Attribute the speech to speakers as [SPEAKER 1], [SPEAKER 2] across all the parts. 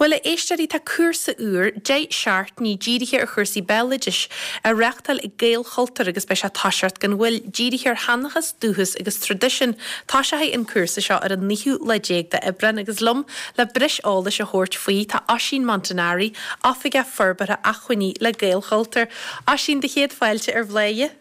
[SPEAKER 1] Bhuel, a éisteoirí, tá cúrsa úr, 10 seachtainí, dírithe ar chúrsaí béaloidis, á reáchtáil ag Gaelchultúr agus beidh sé ag toiseacht gan mhoill, dírithe ar sheanchas, dúchas agus traidisiún. Toiseoidh an cúrsa seo ar an naoú lá déag d'Aibreán agus liom le breis eolais a thabhairt faoi tá Oisín Montanari, Oifigeach Forbartha Acmhainní le Gaelchultúr. Oisín, do chéad fáilte ar Bhláth.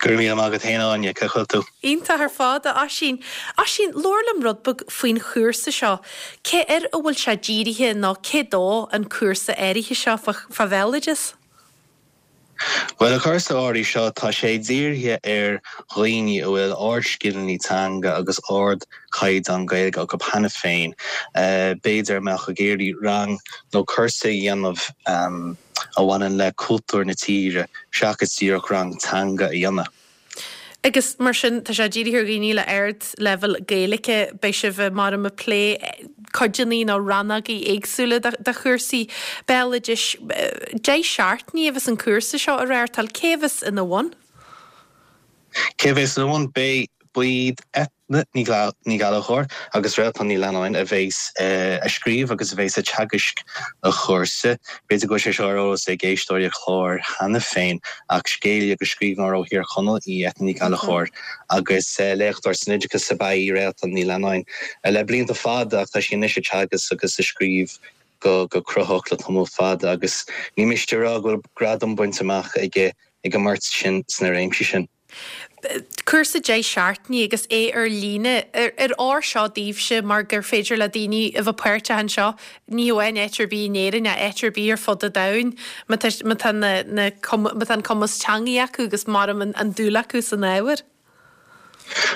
[SPEAKER 2] Go raibh míle maith agat féin, Áine. Cén chaoi a bhfuil tú?
[SPEAKER 1] Iontach ar fad, a Oisín. Oisín, labhair liom rud beag faoin chúrsa seo. Cé air a bhfuil sé dírithe nó cé dó an cúrsa áirithe seo fá bhéaloideas?
[SPEAKER 2] Bhuel, an cúrsa áirithe seo, tá sé dírithe ar dhaoine a bhfuil ardscileanna teanga agus ardchaighdeán Gaeilge acu cheana féin, b'fhéidir a mbeadh ag iarraidh rang nó cúrsa a dhéanamh a bhaineann le cultúr na tíre seachas díreach rang teanga a dhéanamh.
[SPEAKER 1] Agus mar sin, tá sé dírithe ar dhaoine le ardleibhéal Gaeilge. Beidh sibh mar ag plé codanna nó rannógaí éagsúla de chúrsaí béaloidis. 10 seachtainí a bheas an cúrsa seo á reáchtáil. Cé a bheas ina bhun?
[SPEAKER 2] Cé a bheas ina bhun? Beidh Eithne Ní Ghallchóir agus Réaltán Ní Leannáin a bheas ag scríobh agus a bheas ag teagaisc an chúrsa. B'fhéidir go bhfuil sé seo ar eolas ag éisteoirí an chláir cheana féin ach scéalaí agus scríbhneoir ó Thír Chonaill í Eithne Ní Ghallchóir agus léachtóir san oideachas ab ea í Réaltán Ní Leannáin le blianta fada ach tá sí anois ag teagasc agus ag scríobh go cruthaitheach le tamall fada agus ní miste a rá go bhfuil gradam bainte amach ag an mbeirt sin sna réimsí sin.
[SPEAKER 1] Cúrsa 10 seachtainí agus é ar líne. Ar fhóir seo daoibhse mar gur féidir le daoine a bheith páirteach anseo, ní hamháin áit ar bith in Éirinn ach áit ar bith ar fud an domhain, má tá má tá na na má tá an cumas teangaí acu agus maram an dúil acu san ábhar.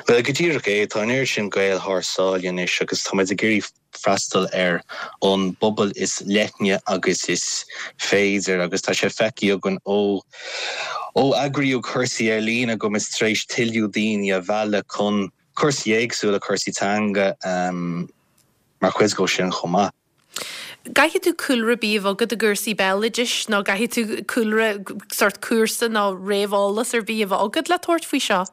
[SPEAKER 2] Bhuel, go díreach é. Tá an oiread sin Gael thar sáile anois agus tá muid ag iarraidh freastal ar an bpobal is leithne agus is féidir agus tá sé feicthe againn ó ó eagraíodh cúrsaí ar líne go bhfuil muid tar éis tuilleadh daoine a mhealladh chun cúrsaí éagsúla, cúrsaí teanga mar chuid dhó sin chomh maith.
[SPEAKER 1] Caithfidh tú cúlra ar bith a bheith agat i gcúrsaí béaloidis nó caithfidh tú cúlra, sórt cúrsa nó réamheolas ar bith a bheith agat le tabhairt faoi seo?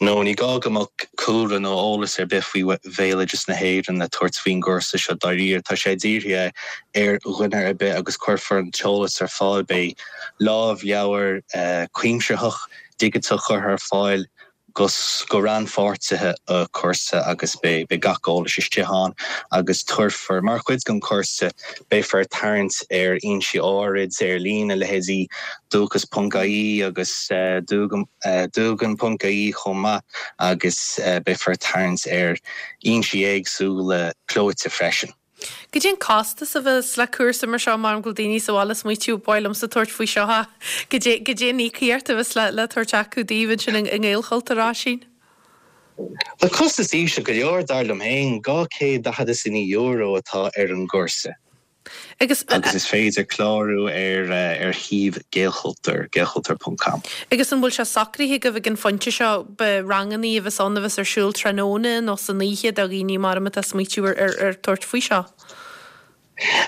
[SPEAKER 2] No, ní gá go mbeadh cúlra nó eolas ar bith faoi bhéaloideas na hÉireann le tabhairt faoin gcúrsa seo dáiríre. Tá sé dírithe ar dhuine ar bith agus cuirfear an t-eolas ar fáil. Beidh lámhleabhar cuimsitheach digiteach curtha ar fáil go go rannpháirtithe an chúrsa agus beidh gach eolas istigh ann agus tabharfar, mar chuid den chúrsa, beifear ag tarraingt ar fhoinsí áirid ar líne, leithéidí dúchas ponc ie agus dugan ponc ie chomh maith agus beifear ag tarraingt ar fhoinsí éagsúla clóite freisin.
[SPEAKER 1] Goidé an costas a bheas le cúrsa mar seo mar go bhfuil daoine sa bhaile ag smaoitiú ba mhaith liomsa tabhairt faoi seo ach goidé goidé an íocaíocht a bheas le le tabhairt acu daoibh ansin i nGaelchultúr Oisín?
[SPEAKER 2] Tá costas íseal go leor dar liom féin, €249 atá ar an gcúrsa.
[SPEAKER 1] Agus.
[SPEAKER 2] Agus is féidir clárú ar ar shuíomh Gaelchultúr, gaelchultúr ponc com.
[SPEAKER 1] Agus an bhfuil sé socraithe agaibh ag an phointe seo ba rangannaí a bheas ann a bheas ar siúl tráthnóna nó san oíche do dhaoine mar atá ag smaoitiú ar ar ar tabhairt faoi seo?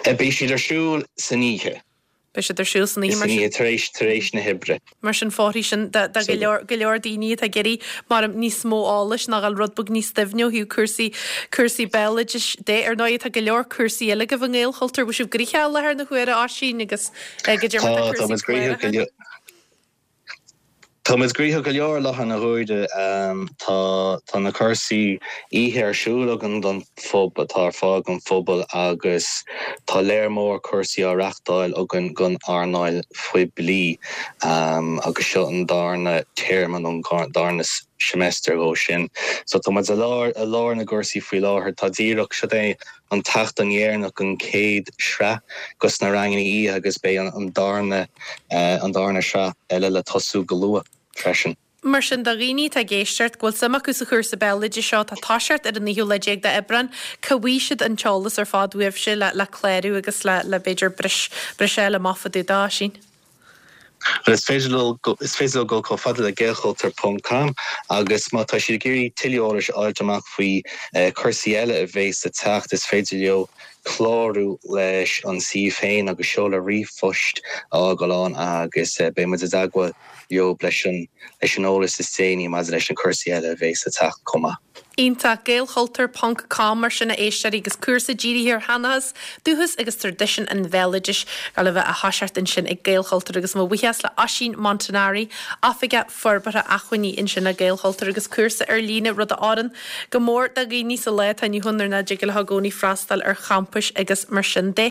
[SPEAKER 2] Beidh siad ar siúl san oíche.
[SPEAKER 1] Beidh siad ar siúl san oíche mar sin.
[SPEAKER 2] Tar éis, tar éis na hoibre.
[SPEAKER 1] Mar sin fóirfidh sin do, do go leor, go leor daoine atá ag iarraidh mar níos mó eolais nó dhul rud beag níos doimhne ó thaobh cúrsaí, cúrsaí béaloidis de. Ar ndóigh tá go leor cúrsaí eile agaibh i nGaelchultúr. Bhfuil sibh gnoitheach i láthair na huaire, Oisín, agus goidé mar
[SPEAKER 2] tá
[SPEAKER 1] Tá,
[SPEAKER 2] tá
[SPEAKER 1] cúrsaí
[SPEAKER 2] muid gnoitheach go
[SPEAKER 1] cláraithe?
[SPEAKER 2] leor. Tá muid gnoitheach go leor i láthair na huaire. Tá tá na cúrsaí oíche ar siúl againn don phob atá ar fáil don phobal agus tá léar mór cúrsaí á reachtáil againn don earnáil phoiblí agus seo an darna téarma nó an darna seimeastar dhó sin. So tá muid i lár i lár na gcúrsaí faoi láthair. Tá díreach, seo é an tseachtain dheireanach den chéad sraith dos na ranganna oíche agus beidh an darna an darna sraith eile le tosú go luath freisin.
[SPEAKER 1] Mar sin, do dhaoine atá ag éisteacht, go bhfuil suim acu sa chúrsa béaloidis seo, atá ag toiseacht ar an naoú lá déag d'Aibreán, cá bhfaighidh siad an t-eolas ar fad uaibhse le le clárú agus le le b'fhéidir breis breis a fháil amach fá dtaobh de, Oisín?
[SPEAKER 2] Bhuel, is féidir leo, is féidir leo dul chomh fada le gaelchultúr ponc com agus má tá siad ag iarraidh tuilleadh eolais a fháilt amach faoi chúrsaí eile a bhéas le teacht, is féidir leo clárú leis an suíomh féin agus seoladh ríomhphoist a fhágáil ann agus beidh muid i dteagmháil leo leis an leis an eolas is déanaí maidir leis na cúrsaí eile a bhéas le teacht chomh maith.
[SPEAKER 1] Iontach. Gaelchultúr ponc com mar sin a éisteoirí agus cúrsa dírithe ar sheanchas, dúchas agus traidisiún an bhéaloidis ag gabháil a bheith á thoiseacht ansin ag Gaelchultúr agus mo bhuíochas le Oisín Montanari, Oifigeach Forbartha Acmhainní ansin le Gaelchultúr agus cúrsa ar líne, rud a oireann go mór do dhaoine sa lá atá inniu ann nuair nach dtig leo i gcónaí freastal ar champais agus mar sin de.